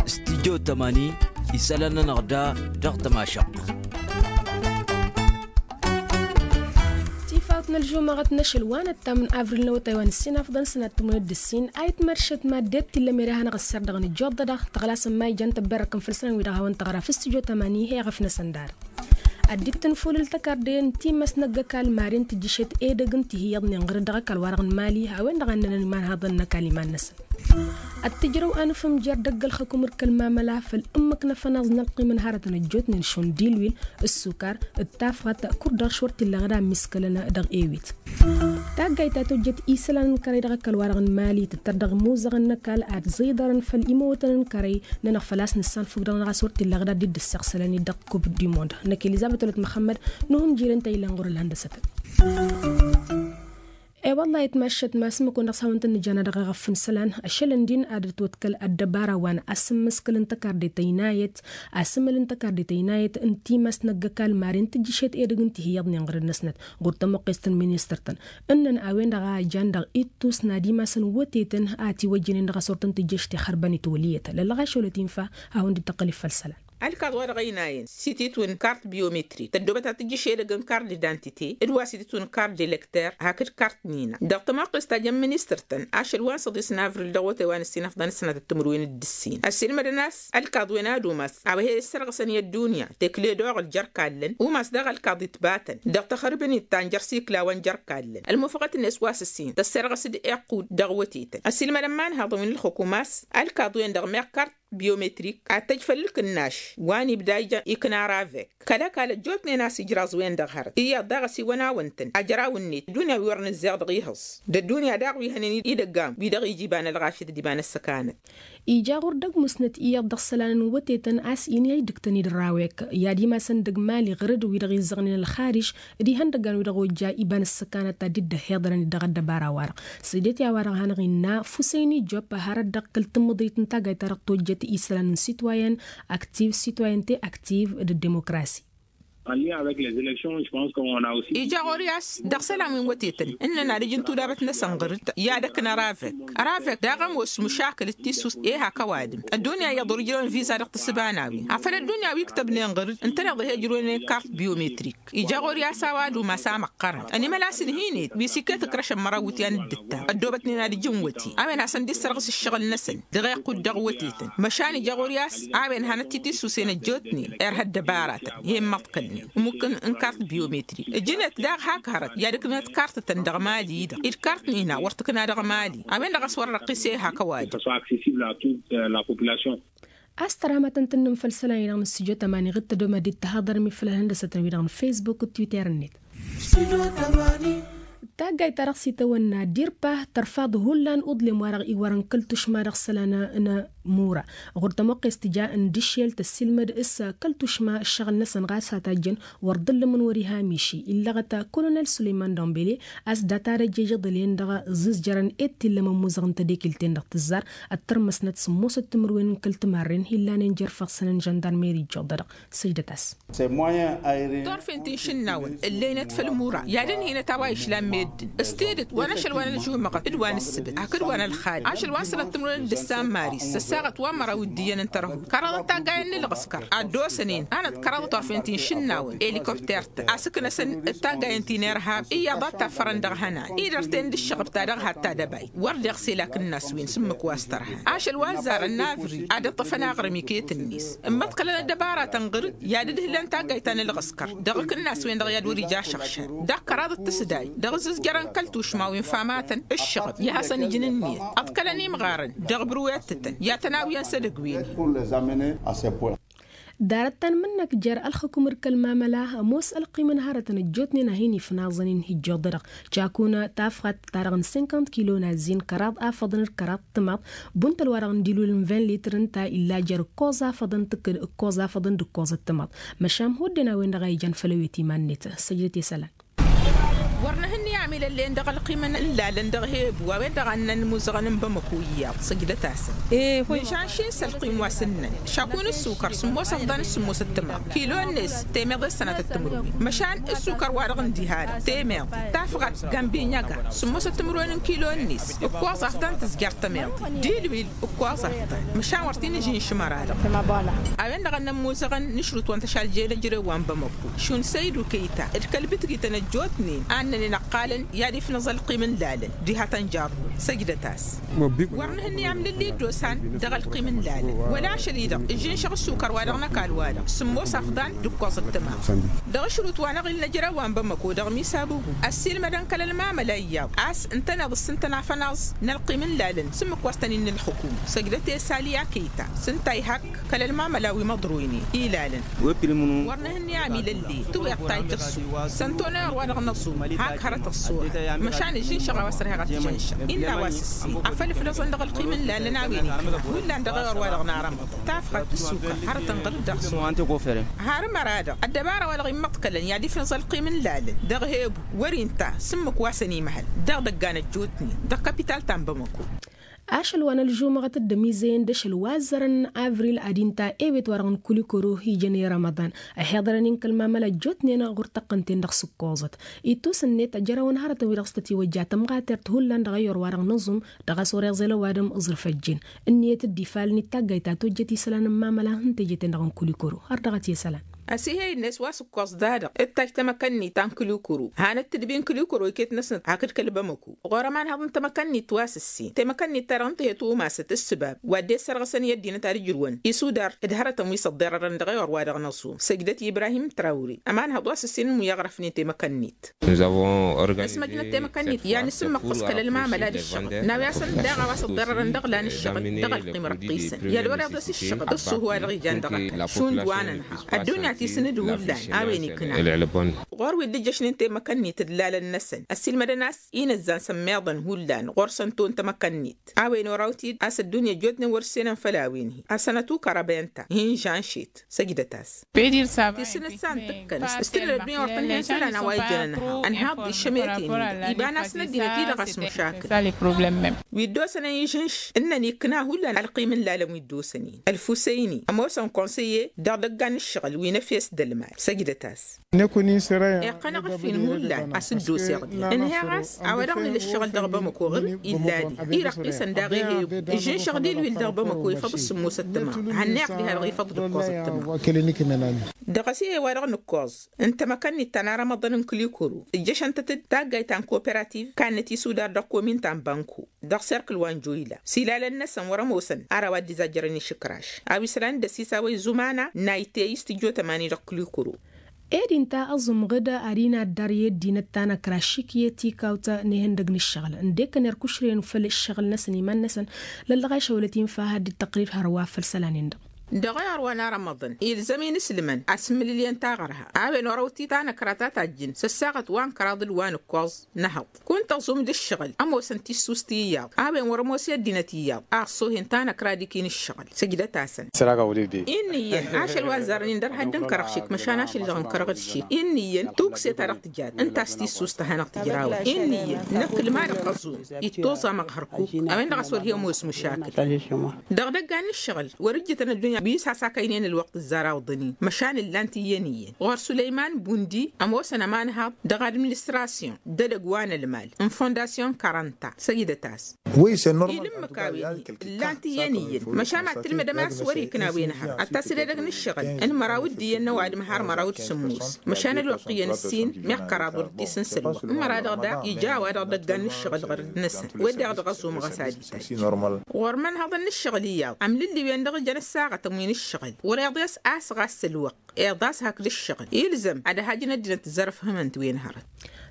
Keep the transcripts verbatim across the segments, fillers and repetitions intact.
Studyo tămani isălan-nănăɣ da dăɣ-tămašăɣt. Tifawt n-ălžumăɣăt n-ašăl wa n-ăttam n-avril n-awătay wa n-ǝssin afḍăn sănat tǝmwăyăt d-ǝssin a itmăršăt madded tillăm ere a hanăɣ-ăsserdăɣ n-ijjuḍ-dăɣ tăɣlasăn ma ijan tăbberrăkăn făll-isălan wi-dăɣ hawăn-tăɣra făll-studyo tămani he-iɣăf-năsăn darăt. Ad-dd-tǝnfulǝl tăkarde n-timăst n-ăgg-ăkall maren tǝjjǝšet edăgg n-tihǝyyăḍnen ɣǝrǝd dăɣ-ăkall-wa-dăɣ n-mali a-wen-dăɣ a ǝnnănăn imanhaḍăn n-ăkall iman-năsăn. Ad-tǝjrăw anǝfǝm jer-dăgg-ălxăkum d-kăl-mamăla făll-ǝmmǝk n-afănaẓ n-ălqim n-hărătăn ăjjootnen šund ilwil, ǝssukar, d-tafɣat, kud-dăɣ šwăr t-illa ɣǝd a ǝmmiskălăn dăɣ-ewit. Taggayt ta tojjăt isălan n-kărăy dăɣ-ăkall-wa-dăɣ n-mali tǝttăr dăɣ-imuzăɣăn n-ăkall ad-ẓiḍărăn făll-imăwătăn n-kărăy-nănăɣ făl-a-s nǝssanfug dăɣ-năɣ a-s wăr t-illa ɣǝd ad-dd-ǝssăɣsălăn-dd dăɣ-kub du mond năkk elizabet wălăt măxămmăd. Nuhǝm jirăn ta illan ɣur-ălhăndăsătăn. E-wălla-hi ătmaššăt ma s-ǝmmǝk-wen-dăɣ s-hawăn-tăn-nǝja n-ad-dăɣ-eɣăf n-isălan ašăl ǝndin ad-ătwăḍkăl ăddăbara wa n-asǝmmǝskǝl n-tăkarde tăynayăt, asǝmmǝl n-tăkarde tăynayăt n-timăst n-ăgg-ăkall maren tǝjjǝšet edăgg n-tihǝyyăḍnen ɣur-năsnăt. Ɣur-tămuqqest n-ministăr-tăn ǝnnăn a-wen-dăɣ a ăjan dăɣ-ittus n-ad-imasăn wătetăn a ătiwăjjănen dăɣ-a-s wăr tăn-tǝjjăš tixărbăn itwăliyăt lăllăɣ ašăl wăt-infa. Hawăn-dd-tăqqăl i-făll-isălan. Ălkaḍ wa dăɣ-ăynayăn s-ititwǝn kart biometrik tăddoobăt ad-tǝjjǝš edăgg n-kart d-idantite d-wa s-ititwǝn kart d-elekter hakd kart n-ina dăɣ-tămoqqest ta jăn ministăr-tăn ašăl wa n-săḍis n-avril dăɣ-wătay wa n-ǝssin ăfḍăn s-sănatăt timǝrwen d-ǝssin ăssiilmădăn a-s ălkaḍ-wen ad-umas a-wa he-issărɣǝsăn i-ăddunya tekle d-oɣǝl jer-ikallen umas daɣ ălkaḍ itbatăn dăɣ-taxărbǝnit ta n-jer-sikla wa n-jer-ikallen ălmufăɣăt-net wa s-ǝssin tăsserɣăs d-iqqud dăɣ-wătetăn ăssiilmădăn imanhaḍăn wi n-ǝlxǝkum a-s ălkaḍ-wen-dăɣ meɣ kart biometrik ad-tăj făll-ǝknaš wa n-ibda ija ikna ravek kăl-ăkall ăjjootnen a-s ijraẓ-wen-dăɣ hărăt iyyăḍ daɣ ăsiwăn-awăn-tăn ajăraw-net ăddunya wi wăr nǝzzeɣ dăɣ-ihǝẓ d-ăddunya daɣ wi hănen idăgg-am wi dăɣ-ija iba n-ălɣafyăt d-iba n-ăssăkanăt. Ija ɣur-dăgg musnăt iyyăḍ dăɣ-isălan n-wătetăn a-s inhăy dăgg-tăn-dd rawek i-ad-imasăn dăgg-mali ɣǝrǝd wi-dăɣ izzăɣnen ălxariš d-ihăndăggan wi-dăɣ ojja iba n-ăssăkanăt ta dd-ăhhiḍărăn-dd dăɣ-ăddăbara-wa-dăɣ. Săjdăt i-a-wa-dăɣ a hanăɣ-innă fusăyni jopp hărăt dăɣ-kăl-tǝmmǝḍrit n-taggayt-ta-dăɣ tojjăt isălan n-sitwayen aktiv sitwayente aktiv d-demokrasi. Ija ɣur-i a-s dăɣ-isălan wi n-wătetăn ǝnnăn ad-ǝjǝn tudabăt-năsăn ɣǝr-dd i-ad-ăknă ravek ravek daɣ ămoos măšakǝl d-tissust i-hak ăwadǝm ăddunya iyyăḍ wăr ǝjrăwăn viza dăɣ-tǝssǝba n-a-wen afăl ăddunya wi ǝktăbnen ɣǝr-dd ǝntăneḍ a he-ǝjrăwnen kart biometrik. Ija ɣur-i a-s a-wa ad-umas amăqqărăn ănimăl a-s ǝnhǝynet wi s-iket ǝkrăšăn măraw iwǝtyan d-ǝttam ăddoobătnen ad-ǝjǝn wăte a-wen hasăn-dd-issărɣǝs ǝššăɣǝl-năsăn dăɣ-iqqud dăɣ-wătetăn. Măšan ija ɣur-i a-s a-wen hanăt-t-isusen ăjjootnen irha ăddăbaratăn i-immăḍkălnen ǝmmǝk n-kart biometrik ǝjǝnet daɣ hak hărăt i-ad-ǝknăt kartătăn dăɣ-mali-dăɣ d-kart n-ina wăr tǝkna dăɣ-mali a-wen-dăɣ a-s wăr răqqis i-hak ăwadǝm. A-s tăramatăn tǝnnǝm făll-isălan-i-dăɣ n-studyo tămani ɣǝd-tădomăd d-tahăḍărmi făll-ălhăndăsătăn-wi-dăɣ n-facebook d-twitter-net. Taggayt-ta-dăɣ s-itawănna dirpa tărfaḍ hullan uḍlem-wa-dăɣ iwărăn kăl-tušma dăɣ-isălan n-mura ɣur-tămoqqes tǝja n-dǝššel tăssiilmăd s-kăl-tušma ǝššăɣǝl-năsăn ɣas a tajjăn wăr dd-ǝllǝmǝn wăr-iha miši illăɣăt. Kolonel sulăyman dombele a-s data-dăj ejăḍăl-en-dăɣ ǝẓǝzjărăn ed t-illăm ămmuzăɣ n-tadekelt-en dăɣ-tǝzzar ăttărmăsnăt sǝmmosăt timǝrwen n-kăl-timarren hi-illanen jer-făɣsăn n-žăndarmeri ijjuḍ-dăɣ. Săjdăt-as. Turfen ti n-išǝnnawăn ǝllăynăt făll-imura i-ad-ǝnhǝynăt a-wa išlan meddǝn s-tidǝt wa n-ašăl wa n-ălžumăɣăt d-wa n-ǝssǝbǝt hakd wa n-ălxad ašăl wa n-sănăt timǝrwen d-ǝssan maris săssaɣăt wa n-măraw d-iyyăn n-tărhut kăraḍăt taggayen n-ǝlɣǝskăr ad-dd-osănen anăt kăraḍăt turfen ti n-išǝnnawăn elikopter-tăn a-s ǝknăsăn d-taggayen ti n-irhab iyyăḍ a t-taffărăn dăɣ-ihănan idărten d-ǝššăɣăb ta dăɣ-had tadăbayt wăr deɣ selak ǝnnas-win s-ǝmmǝk wa s-tărhan ašăl wa ăzzarăn n-avril ad-ǝṭṭăfăn aɣrǝm iket-net ǝmmăḍkălăn ăddăbaratăn ɣǝr-dd i-ad-ǝdhǝlăn taggayt ta n-ǝlɣǝskăr dăɣ-ikǝnnas-wen-dăɣ i-ad-wăr-ija ašăɣšad dăɣ-kăraḍăt tǝsdayt dăɣ-izǝzjărăn kăl-tušma wi n-famatăn ǝššăɣăb i-ad-hasăn-ǝjǝn ǝnniyăt ăḍkălăn imɣarăn dăɣ-bǝrǝwetătăn i-ad-tăn-awǝyăn s-edăgg-wen. Ḍarăt ta n-imǝnnăk jer-ălxǝkum d-kăl-mamăla ămoos ălqim n-hărătăn ăjjootnen a hin-ifnaẓăn-in hi-ijjuḍ-dăɣ cakun tafɣat ta dăɣ-n cinquante kilo n-azzin kăraḍ afăḍăn d-kăraḍ timaḍ. Bunta wa dăɣ-n dilul n-vingt litr ǝnta illa jer-ǝkkoẓ afăḍăn tǝkkǝd ǝkkoẓ afăḍăn d-ǝkkoẓ ăttămaḍ. Măšan hodden a-wen-dăɣ a ijan făll-ewet iman-net. Săjdăt i-isălan. Wăr nǝhǝnni. Milăllen dăɣ-ălqimăn n-lalăn dăɣ-hebu a-wen-dăɣ a ǝnnăn imuzăɣăn n-bamăko iyyăḍ săjdăt-asăn. Măšan šin s-ălqim wa s-ǝnnăn šakun ǝssukăr sǝmmos ăfḍan s-sǝmmos ăttăma kilo-net temeḍe s-sănatăt timǝrwen. Măšan ǝssukăr-wa-dăɣ n-diha-dăɣ temeḍe tafɣăt gambinyăga sǝmmos ăttămǝrwen n-kilo-net ǝkkoẓ afḍan tǝzjăr tămeḍe d-ilwil ǝkkoẓ afḍan. Măšan wăr t-in-ǝžǝnšǝmăr-a-dăɣ a-wen-dăɣ a ǝnnăn imuzăɣăn n-ašrut wa n-tăšalje n-ejărew wa n-bamăko šund săydu kăyta d-kăl-bǝtgităn ăjjootnen a ǝnnănen ăqqalăn i-ad-ifnăẓ ălqim n-lalăn diha tănjărnun săjdăt-as. Wăr nǝhǝnni amlǝlli dd-osan dăɣ-ălqim n-lalăn wăla ašăl-i-dăɣ ǝžžǝnšăɣ ǝssukăr-wa-dăɣ n-ăkall-wa-dăɣ sǝmmos afḍan d-ǝkkoẓ ăttăma. Dăɣ-ašrut wa n-aɣil n-ejărew wa n-bamăko dăɣ-misabubu ăssiilmădăn kăl-ălmamăla iyyăḍ a-s ǝntăneḍ s-ǝntănafăn aẓ n-ălqim n-lalăn s-ǝmmǝk wa s-tăn-innă ălxukum săjdăt i-sali akăyta s-ǝnta ihak kăl-ălmamăla wi măḍroynen ilalăn. Wăr nǝhǝnni amilălle tǝwweḍ tajjăɣ s-u săn tonăyăr wa dăɣ-năẓum hak hărăt ăṣṣuɣa. Măšan ǝžžǝnšăɣ a-wa s-ărheɣ ad-t-ǝžžǝnšăɣ illa a-wa s-ǝssin afăl ǝflăẓăn dăɣ-ălqim n-lalăn a-wen ikna hullan dăɣ-ewăr wa dăɣ-narămăḍ tafɣăt ǝssukăr hărătăn ɣǝl-dd aɣsǝm. Har ămăra-dăɣ ăddăbara wa dăɣ-immăḍkălăn i-ad-ifnăẓ ălqim n-lalăn dăɣ-hebu wăr-inta s-ǝmmǝk wa săn imăhăl dăɣ-idăggan ăjjootnen dăɣ-kapital ta n-bamăko. Ašăl wa n-ălžumăɣăt dd-ămizăyăn d-ašăl wa ăzzărăn n-avril ad-inta ewet-wa-dăɣ n-kulikoro ijăn i-rămăḍan ăhiḍărăn-in kăl-mamăla ăjjootnen ɣur-tăqqǝnten dăɣ-sǝkkoẓăt. Ittus-net ăjrăwăn hărătăn-wi-dăɣ s-tătiwăjja tămɣatert hullan dăɣ-eyyor wa-dăɣ nǝẓum dăɣ-a-s wăr-iẓel ăwadǝm ǝẓrǝf ăjjeen. Ǝnniyăt dd-ifalăn-dd taggayt ta tojjăt isălan n-mamăla n-teje-ten-dăɣ n-kulikoro har dăɣ-t i-isălan. Ăsihăy-net wa s-ǝkkoẓ da-dăɣ ǝttaj tamăkănnit ta n-kǝlikuru hanăt-tǝdbi n-kǝlikuru iket-năsnăt hakd kăl-bamăko. Ɣur-ămanhăḍ n-tamăkănnit wa s-ǝssin tamăkănnit-ta-dăɣ ǝnta he-tumasăt ǝssǝbab wa dd-e-ăssărɣăsăn i-ăddinăt ad-ǝjrǝwăn isudar d-hărătăn wi s-ăḍḍerărăn dăɣ-ewăr wa dăɣ-năẓum săjdăt i-ibrahim trawre. Ămanhăḍ wa s-ǝssin n-imuyăɣrăfnen tamăkănnit. Nǝsmăjnăt tamăkănnit i-ad-nǝsǝmmăqqăs kăl-ălmamăla d-ǝššăɣǝl n-a-wi hasăn daɣ a-wa s-ăḍḍerărăn dăɣ-lan ǝššăɣǝl dăɣ-ălqim răqqisăn i-ad-wăr-iḍes ǝššăɣǝl ǝssuh-wa-dăɣ ijan dăɣ-ăkall šund wa nănha. Ăddunya tisǝn-dd hullan a-wen ikna. Ɣur-wi dd-ǝjjăšnen temăkănnit d-lalăn-năsăn ăssiilmădăn a-s inǝzzan s-ămmiḍăn hullan ɣur-săn ton tamăkănnit a-wen orăw-t-dd a-s ăddunya ăjjootnen wăr-ǝssenăn făll-a-wen-hi a-s ănătukăr abăyăn-ta hin-žănšet. Săjdăt-as. Tisǝnǝt san tǝkkăn s-tǝnnăd ăddunya wăr tăn-hen isălan a-wa ijăn ănha ănheḍ-dd išămeten-i-dăɣ iba n-asnăt dinăt-i-dăɣ a-s măšakǝl. Wi dd-osănen ižǝnš ǝnnăn ikna hullan ălqim n-lalăn wi dd-osănen ălfusăyni ămoosăn konsăyye dăɣ-idăggan n-ǝššăɣǝl wi n-efes d-ălmal săjdăt-as. Iqqăn-aɣ ǝffin hullan a-s dd-oseɣ-dd ǝnheɣ a-s a-wa dăɣ-nǝla ǝššăɣǝl dăɣ-bamăko ɣǝr-dd illa-di. Irăqqisăn daɣ ehe-ewǝd ǝžžǝnšăɣ d-ilwil dăɣ-bamăko ifăḍ s-sǝmmos ăttăma hănneɣ diha-dăɣ ifăḍ d-ǝkkoẓ ăttăma. Dăɣ-s ehe wa-dăɣ nǝkkoẓ n-tamăkănnit ta n-arămăḍăn n-kǝlikuru ǝjjăšăn-tăt-dd taggayt ta n-koperativ kannăt isudar dăɣ-komin ta n-banko dăɣ-serkǝl wa n-joyla s-ilalăn-năsăn wăr-ămoosăn ar a-wa dd-izajjărăn išǝkraš a-wa isălan d-ăsisawăy zumana n-aytey s-tijjo tămani dăɣ-kǝlikuru. Ed inta ăẓumɣǝd ad-inaddar i-ăddinăt ta n-ăkraš šik i-tikawt n-ihăndăg n-ǝššăɣǝl ǝndek ănerkušren făll-ǝššăɣǝl-năsăn iman-năsăn. Lăllăɣ ašăwălăt infa had-dd-tăqrib hărwa făll-isălan-in-dăɣ. Dăɣ-ewăr wa n-arămăḍăn ilzăm-in ǝslǝmăn asǝmmǝlǝlyen taɣărha a-wen orăw-t-i tanăkra ta tajjǝn s-ăssaɣăt wa n-kăraḍ d-wa n-ǝkkoẓ n-ehăḍ. Kunta ăẓum d-ǝššăɣǝl ămoosăn tissust iyyăḍ a-wen wăr-ămoos i-ăddinăt iyyăḍ a ăṣṣohen tanăkra d-ikin ǝššăɣǝl. Săjdăt-asăn. Iyyăn ašăl wa ăzzarăn-in dăr-had dd-ǝnkărăɣ šik măšan ašăl-i-dăɣ ǝnkărăɣ-dd šik. Inn'-iyyăn tukse-ta-dăɣ tǝjat ǝnta a-s tissust ta hanăɣ-tǝjrawăn. Inn'-iyyăn năkk ǝlma-dăɣ ăẓum ittoẓam aɣhărkuk a-wen-dăɣ a-s wăr hi-ămoos măšakǝl. Dăɣ-idăggan n-ǝššăɣǝl wăr-ǝjjǝtăn ăddunya wi s-has-akăynen ălwăqq ǝzzar awǝḍăn-in măšan ǝllan-t iyyăn iyyăn. Ɣur-sulăyman bundi ămoosăn ămanhaḍ dăɣ-administrasyon d-edăgg wa n-ălmal n-fondasyon karănta săjdăt-as. Ila ǝmmǝk a-wen-hi ǝllan-t iyyăn iyyăn măšan ma t-tǝlmǝdăm a-s wăr-ikna a-wen hărăt ad-tasǝl edăgg n-ǝššăɣǝl n-măraw d-iyyăn n-ăwadǝm har măraw d-sǝmmos. Măšan ălwăqq iyyăn ǝssin meɣ kăraḍ wăr t-isǝnsăl wa ǝmmăra-dăɣ daɣ ija a-wa-dăɣ idăggan n-ǝššăɣǝl ɣărăd-năsăn. Wed-dăɣ dăɣ-ăẓumăɣ a-s ad-ităjj ɣur-imănhăḍăn n-ǝššăɣǝl iyyăḍ amlǝlli-wen-dăɣ ǝjăn ăssaɣătăn wi n-ǝššăɣǝl wăr-iḍes a-s ɣas ălwăqq iḍas hakd ǝššăɣǝl ilzăm ad-ăhajǝn ăddinăt tǝzzărăfhǝmăn-t wen hărăt.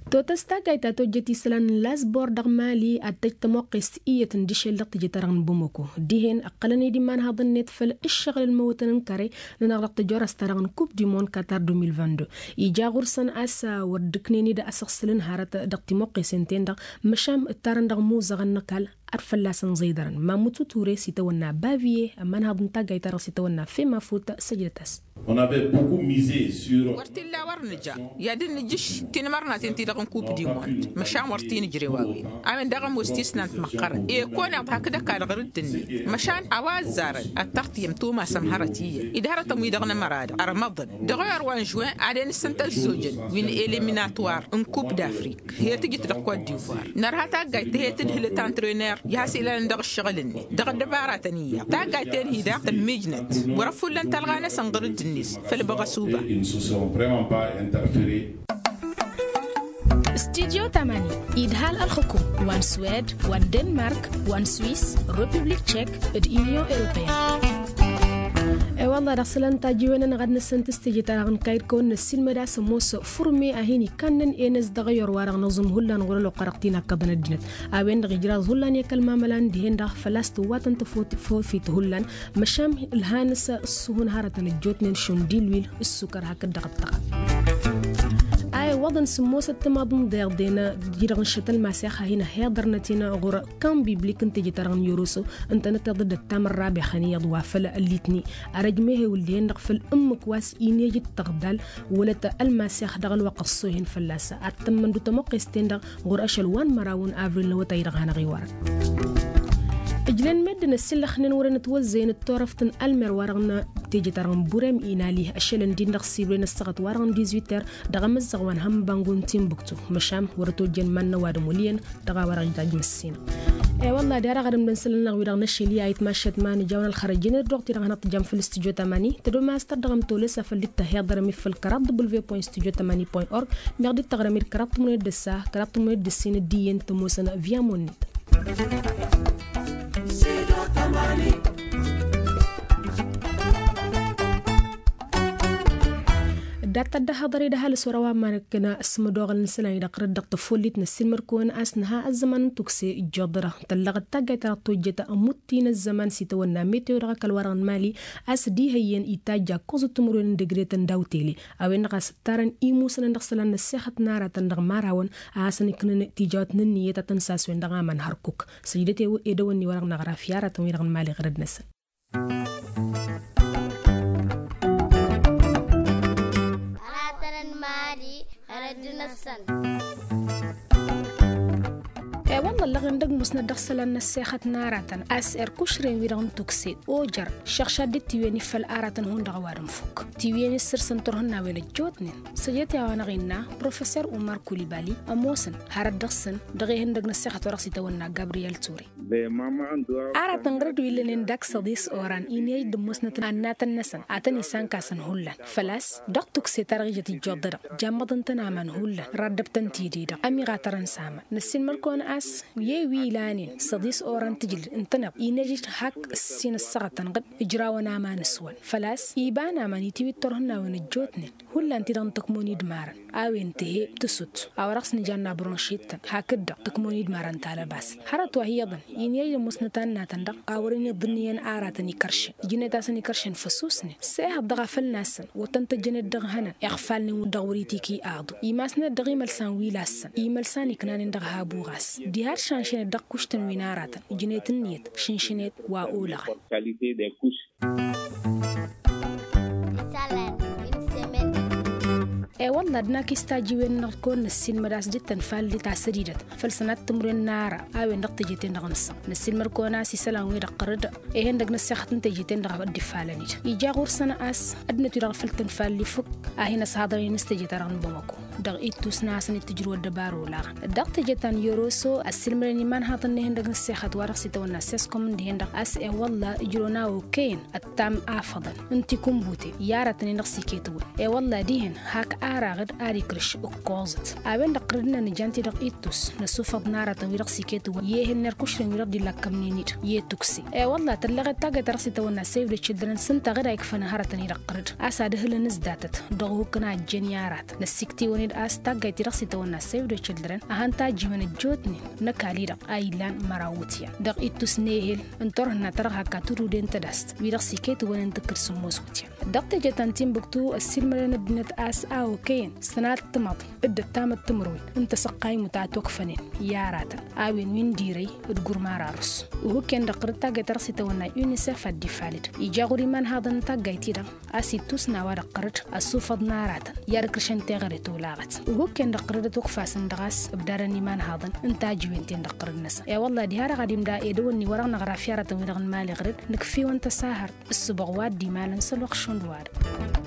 Totăs taggayt ta tojjăt isălan n-lasbor dăɣ-mali ad-tăj tămoqqest iyyăt n-dăšel dăɣ-tejăt-ta-dăɣ n-bamăko dihen ǝqqălăn-dd imanhaḍăn-net făll-ǝššăɣǝl n-imăwwătăn n-kăre-nănăɣ dăɣ-tăjorăst-ta-dăɣ n-kup du mond katar deux mille vingt-deux. Ija ɣur-săn a-s wăr dd-ǝknen-dd asăɣsǝl n-hărăt dăɣ-timoqqesen-ten-dăɣ măšan ǝttarăn dăɣ-imuzăɣăn n-ăkall. Ad-fălla-săn ẓeḍărăn mamut uture s-itawănna baviye ămanhăḍ n-taggayt-ta-dăɣ s-itawănna femafut. Săjdăt-as. Wăr t-illa wăr nǝja i-ad-dd nǝjǝš tinmărnaten-ti-dăɣ n-kup dimond. Măšan wăr t-inǝjrew a-wen a-wen daɣ ămoos tisnant măqqărăn ekăwăneḍ hakd ăkall ɣur-dd-net. Măšan a-wa ăzzarăn ad-taɣtǝyăm tumasăm hărăt iyyăn ed hărătăn-wi-dăɣ n-ămăra-dăɣ ărmăḍăn dăɣ-ewăr wa n-žuwin. Ad-en-ǝssǝntă ăzzojăn wi n-eliminator n-kup d-afrik. He-tǝjǝt dăɣ-kot divoir nărha taggayt ta he-tǝdhǝlăt antrăner i-has-ilalăn dăɣ-ǝššăɣǝl-net dăɣ-ăddăbaratăn iyyăḍ taggayt-en-hi daɣ tămmijnăt. Wăr-ăfullăn talɣa-năsăn ɣur-dd-net făll-băɣăsuba. Studyo tamani idhal ălxukum wa n-swed wa n-denmark wa n-swis, republik tšek, d-union europeyenne. E-wălla dăɣ-isălan tajǝwen-anăɣ ad-năssănt s-teje-ta-dăɣ n-kayǝd kăwăn-năssiilmăd a-s ămoos furme a hin-ikannen enăz dăɣ-eyăr-wa-dăɣ năẓum hullan ɣur-ăloqqărăɣ ti n-akkăḍăn ăddinăt. A-wen-dăɣ ijraẓ hullan i-kăl-mamălan dihen-dăɣ făl-a-s tǝwwatăn tăfofit hullan. Măšan ǝlhan-s ǝssuhǝn hărătăn ăjjootnen šund ilwil ǝssukăr hakd-dăɣ ǝṭṭăɣăl. A iwwăḍăn s-ămoosăt timaḍ n-iḍeḍen-i-dăɣ n-šăt ălmasex a hin-ăhhiḍărnăt-in ɣur-kan biblik n-teje-ta-dăɣ n-yoroso ǝntănăteḍ d-ăttam ărrabex ăniyăḍ wa făll-ăllitni. Arăj mehewǝl dihen-dăɣ făll-ǝmmǝk wa s-inejǝd tăɣdal wălăt ălmasex dăɣ-ălwăqq ăṣṣohen fălla-s ad-tămmăndu tămuqqes-ten-dăɣ ɣur-ašăl wa n-măraw n-avril n-awătay-dăɣ hanăɣ-iwărăn. Ǝjlen meddǝn ăsillăxnen wăren ătwăzzăyăn d-turăft n-almer-wa-dăɣ n-teje-ta-dăɣ n-burem inali ašăl ǝndin dăɣ-sibren ăssaɣăt-wa-dăɣ n-dizwiter dăɣ-amǝzzăɣ wa n-hămmăbangu n-timbuktu. Măšan wăr-ătojjăn iman n-ăwadǝm wăl' iyyăn dăɣ-a-wa-dăɣ ijaj măssinăɣ. E-wălla d-ad-aɣrǝm d-ănsălăn-năɣ wi-dăɣ n-ašăl i-ayǝtmašăt ma nǝja-wăn ălxărăj-in ăddoɣ-t-i-dăɣ hanăt-tǝjam făll-studyo tamani tădomast ad-dăɣ-ămtolăs afăl dd-tăhiḍărăm-i făll-kăraḍ w point studyo tamani point org. Meɣ dd-tăɣrăm-i d-kăraḍ tǝmmuned d-ăssa kăraḍ tǝmmuned d-ǝssin d-iyyăn tămoosăn via munnet. Dat-tăddăhăḍăr-i d-ăhalǝs wăr-ăwa n-imanăkkăn s-imădoɣăl n-isălan-i-dăɣ ɣur-dd dăɣ-tăffollit n-ăssiilmăd-kăwăn a-s nǝha ăzzăman n-tukse ǝjjoḍărăɣ tăllăɣăt taggayt ta dăɣ-tojjăt ămutti n-ăzzăman s-itawănna metewo dăɣ-ăkall-wa-dăɣ n-mali. A-s d-ihăyyăn itajj akkoẓăt timǝrwen n-degretăn daw-tele. A-wen-dăɣ a-s ǝttarăn imusănăn dăɣ-isălan n-ăssexăt n-aratăn dăɣ-imărawăn a hasăn-ǝknăn tijawt n-ǝnniyăt ad-tăn-saswen dăɣ-aman hărkuk. Săjdăt edăwănni-wa-dăɣ n-aɣraf i-aratăn-wi-dăɣ n-mali ɣărăd-năsăn. Aratăn n-mali ɣărăd-năsăn. E-wălla ǝllăɣen d-ăgg musnăt dăɣ-isălan n-ăssexăt n-aratăn a-s irkušren-wi-dăɣ n-tukse ojăr šăɣšad d-tiwǝyăn-i făll-aratăn hundăɣ ăwadǝm fukk tiwǝyăn-i ǝssǝrsăn turhǝnnawen ăjjootnen. Săjdăt i-a-wa-năɣ innă professor umar kulibali ămoosăn hărăt dăɣ-săn dăɣ-ihăndăg n-ăssexăt wa dăɣ-s itawănna gabriyel ture. Aratăn ɣur-dd wi ǝllănen dak săḍis oran inhăyăj d-ămmusnăt annatăn-năsăn ad-tăn-isankasăn hullan făl-a-s dăɣ-tukse ta dăɣ-ijăt ijjuḍ-dăɣ jammăḍăn-tăn aman hullan raddăb-tăn tidǝy-dăɣ ămiɣatărăn s-aman. Năssiilmăr-kăwăn a-s i-wi ilanen săḍis oran tǝjlǝd ǝntăneḍ inhăyăj hak ǝssin ăssăɣătăn ɣǝd ǝjrawăn aman s-wăn făl-a-s iba n-aman itiwǝy d-turhǝnnawen ăjjootnen. Hullan-ti-dăɣ n-tǝkmon idmarăn a-wen tǝhe tǝsut a-wa dăɣ-s nǝjanna bronšit-tăn hakd-dăɣ tǝkmon idmarăn talăbasăt hărăt wa hi-iyyăḍăn. Inhăyăj d-ămmusnăt annatăn-dăɣ a wăren iḍǝnnǝyăn aratăn ikăršăn ǝjnet-asăn ikăršăn făsusnen s-ehăḍ dăɣ-afăl-nasăn wăr tăn-tăjjănet dăɣ-ihănăn iɣfalnen dăɣ-wăr-itikǝy aḍu. Imasnet dăɣ-imălsan wi lassăn imălsan iknanen dăɣ-habu ɣas diha d-šanšănet dăɣ-kuštăn wi n-aratăn ǝjnet ǝnniyăt šǝnšǝnet wa olăɣăn. E-wălla d-nak istajiwen-năɣ d-kăwăn-năssiilmăd a-s dd-tănfallit a sădidăt făll-sănat timǝrwen n-ara a-wen dăɣ-teje-ten-dăɣ nǝssan năssiilmăd-kăwăn a-s isălan-wi-dăɣ ɣăr-dd. Ihăndăg n-ăssexăt n-teje-ten-dăɣ dd-ifalăn-dd ija ɣur-săn a-s ăddinăt-wi-dăɣ făll-tănfalli fukk a hin-ăshăḍrănen s-teje-ta-dăɣ n-bamăko dăɣ-ittus n-ad-hasăn-dd-tǝjrǝw ăddăbar olaɣăn. Dăɣ-teje ta n-yoroso ăssiilmădăn imanhaḍăn n-ihăndăg n-ăssexăt wa dăɣ-s itawănna seskom n-dihen-dăɣ a-s e-wălla ijrăwăn a okăyăn ăttam afăḍăn n-tikǝnbuten i-aratăn-in-dăɣ s-iket-wăn. E-wălla dihen hak araɣ-dd ad-ikrǝš ǝkkoẓăt a-wen-dăɣ ɣǝr-dd-năn ǝjan-t-dăɣ ittus n-ăsufăḍ n-aratăn-wi-dăɣ s-iket-wăn i-ehăn n-irkušrăn-wi-dăɣ dd-illăkkămnen-dd i-tukse. E-wălla tălleɣet taggayt ta dăɣ-s itawănna save the children s-ǝnta ɣǝd a ikfăn hărătăn-i-dăɣ ɣǝr-dd a-s ad-ǝhǝlăn s-datăt dăɣ-uhǝkkăn a ǝjjen i-aratăn năssiktǝwăn. A-s taggayt-i-dăɣ s-itawănna save the children a han-tajjiwăn ăjjootnen n-ăkall-i-dăɣ a illan măraw iwǝtyan dăɣ-ittus n-ehel n-turhǝnna ta dăɣ-hak katududen tădast wi-dăɣ s-iketǝwăn n-tǝkkǝd sǝmmos iwǝtyan. Dăɣ-teje ta n-timbuktu ăssiilmădăn ăddinăt a-s a okăyăn sănat tǝmăḍ d-ăttamăt timǝrwen n-tasăqqay mutăt okfănen i-aratăn a-wen wi n-dirăy d-gurma rarus. Uhǝkken dăɣ-tăɣrǝd taggayt ta dăɣ-s itawănna unicef ad-dd-ifalăd ija ɣur-imanhaḍăn n-taggayt-i-dăɣ a-s ittus n-a-wa dăɣ-tăɣrǝd ăssufăḍ n-aratăn i-ad-ǝkrǝšăn teɣăre tolaɣăt. Uhǝkken dăɣ-tăɣrǝd ătwăkfasăn dăɣ-a-s ǝbdadăn imanhaḍăn n-tajǝwen-ten dăɣ-tăɣrǝd-năsăn i-wălla diha-dăɣ ad-imda edăwănni wa dăɣ-năɣra fi aratăn-wi-dăɣ n-imali ɣăr-dd nǝkf'-iwăn tăsahărt ǝssǝboɣ wa dd-imalăn s-ălwăqq šund wa-dăɣ.